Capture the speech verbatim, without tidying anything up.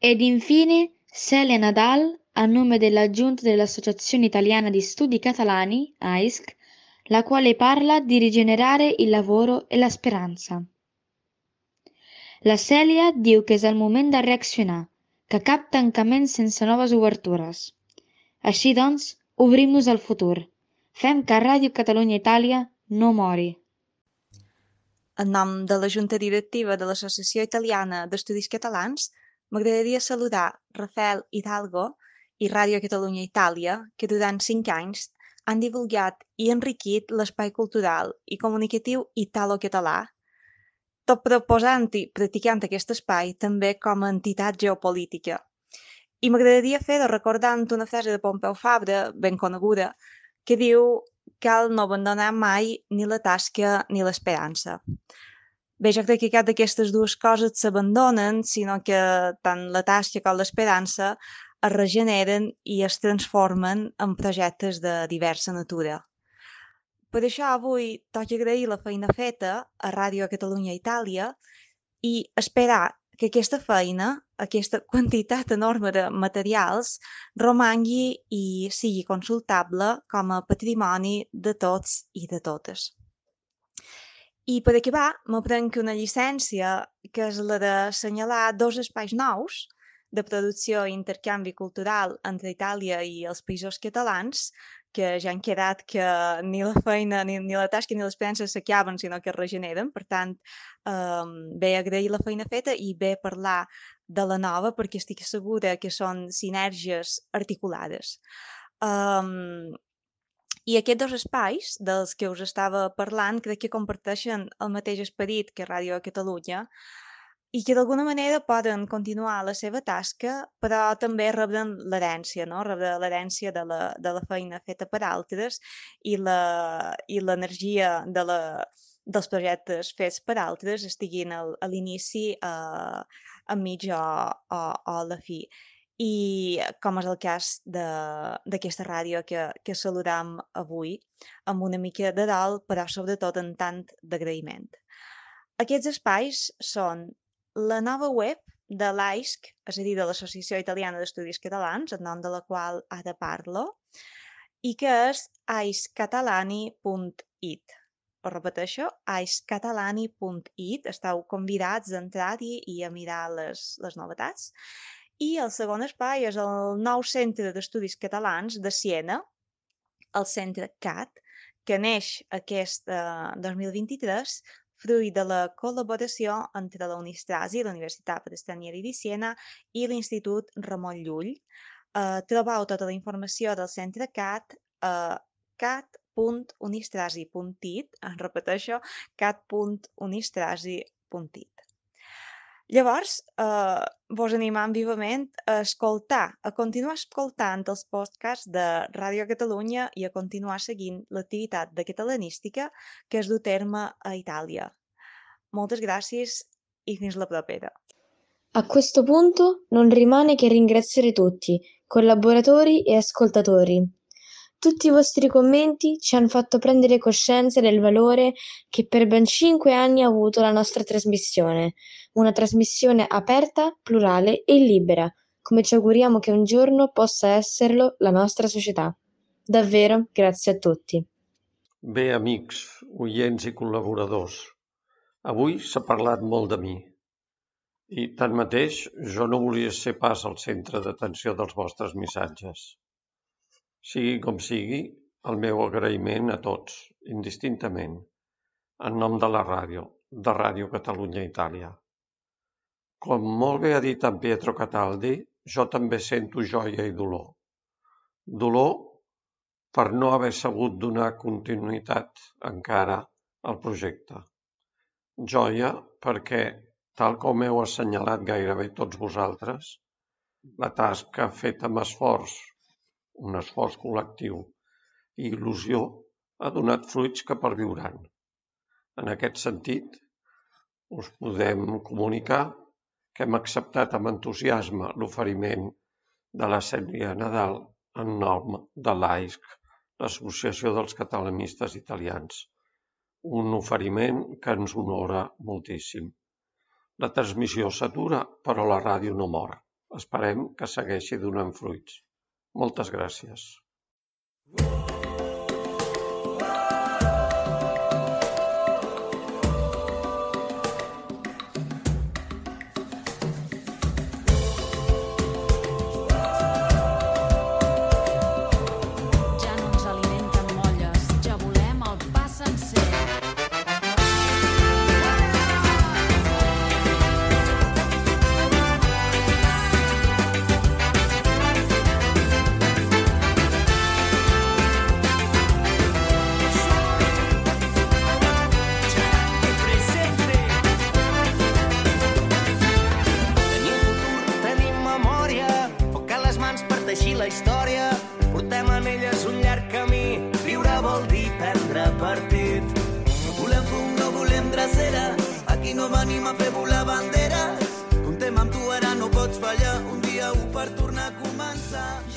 Ed infine Celia Nadal, a nome della Giunta dell'Associazione Italiana di Studi Catalani, A I S C, la quale parla di rigenerare il lavoro e la speranza. La Cèlia diu que és el moment de reaccionar, que cap tancament sense noves obertures. Així doncs, obrim-nos al futur. Fem que Ràdio Catalunya Itàlia no mori. En nom de la Junta Directiva de l'Associació Italiana d'Estudis Catalans, m'agradaria saludar Rafael Hidalgo i Ràdio Catalunya Itàlia, que durant cinc anys han divulgat i enriquit l'espai cultural i comunicatiu italo-català, tot proposant i practicant aquest espai també com a entitat geopolítica. I m'agradaria fer-ho recordant una frase de Pompeu Fabra, ben coneguda, que diu: cal no abandonar mai ni la tasca ni l'esperança. Bé, jo crec que cap d'aquestes dues coses s'abandonen, sinó que tant la tasca com l'esperança es regeneren i es transformen en projectes de diversa natura. Per això avui toca agrair la feina feta a Ràdio Catalunya Itàlia i esperar que aquesta feina, aquesta quantitat enorme de materials, romangui i sigui consultable com a patrimoni de tots i de totes. I per acabar, me prenc una llicència, que és la d'assenyalar dos espais nous de producció i intercanvi cultural entre Itàlia i els països catalans, que ja han quedat que ni la feina, ni, ni la tasca ni l'esperança s'acaben, sinó que es regeneren. Per tant, eh, bé agrair la feina feta i bé parlar de la nova, perquè estic segura que són sinergies articulades. Um, I aquests dos espais dels que us estava parlant crec que comparteixen el mateix esperit que Ràdio Catalunya i que d'alguna manera poden continuar la seva tasca, però també rebren l'herència, no? Rebren l'herència de la, de la feina feta per altres i l'energia de la, dels projectes fets per altres estiguin al, a l'inici, eh, enmig o, o, o a la fi. I com és el cas d'aquesta ràdio que, que saludam avui, amb una mica de dol, però sobretot en tant d'agraïment. Aquests espais són la nova web de l'A I S C, és a dir, de l'Associació Italiana d'Estudis Catalans, en nom de la qual ara parlo, i que és aiscatalani punt it. Ho repeteixo, aiscatalani punt it. Esteu convidats a entrar-hi i a mirar les, les novetats. I el segon espai és el nou Centre d'Estudis Catalans de Siena, el Centre C A T, que neix aquest eh, dos mil vint-i-tres, fruit de la col·laboració entre la Unistrasi, la Universitat Stranieri di Siena, i l'Institut Ramon Llull. Eh, trobeu tota la informació del Centre C A T a cat punt unistrasi punt it, repeteixo, cat punt unistrasi punt it. Llavors, eh, vos animam vivament a escoltar, a continuar escoltant els podcasts de Ràdio Catalunya i a continuar seguint l'activitat de catalanística que es du a terme a Itàlia. Moltes gràcies i fins la propera. A questo punto non rimane che ringraziare tutti, collaboratori e ascoltatori. Tutti i vostri commenti ci hanno fatto prendere coscienza del valore che per ben cinque anni ha avuto la nostra trasmissione, una trasmissione aperta, plurale e libera, come ci auguriamo che un giorno possa esserlo la nostra società. Davvero, grazie a tutti. Bé, amics, oients i col·laboradors, avui s'ha parlat molt de mi i, tanmateix, jo no volia ser pas al centre d'atenció dels vostres missatges. Sigui com sigui, el meu agraïment a tots, indistintament, en nom de la ràdio, de Ràdio Catalunya Itàlia. Com molt bé ha dit en Pietro Cataldi, jo també sento joia i dolor. Dolor per no haver sabut donar continuïtat encara al projecte. Joia perquè, tal com heu assenyalat gairebé tots vosaltres, la tasca feta amb esforç, un esforç col·lectiu i il·lusió ha donat fruits que perviuran. En aquest sentit, us podem comunicar que hem acceptat amb entusiasme l'oferiment de la Cèlia Nadal en nom de l'A I S C, l'Associació dels Catalanistes Italians, un oferiment que ens honora moltíssim. La transmissió s'atura, però la ràdio no mor. Esperem que segueixi donant fruits. Moltes gràcies. La història, portem en elles un llarg camí. Viure vol dir prendre partit. No volem fum, no volem drecera, aquí no venim a fer volar banderes. Comptem amb tu, ara no pots fallar, un dia u per tornar a començar.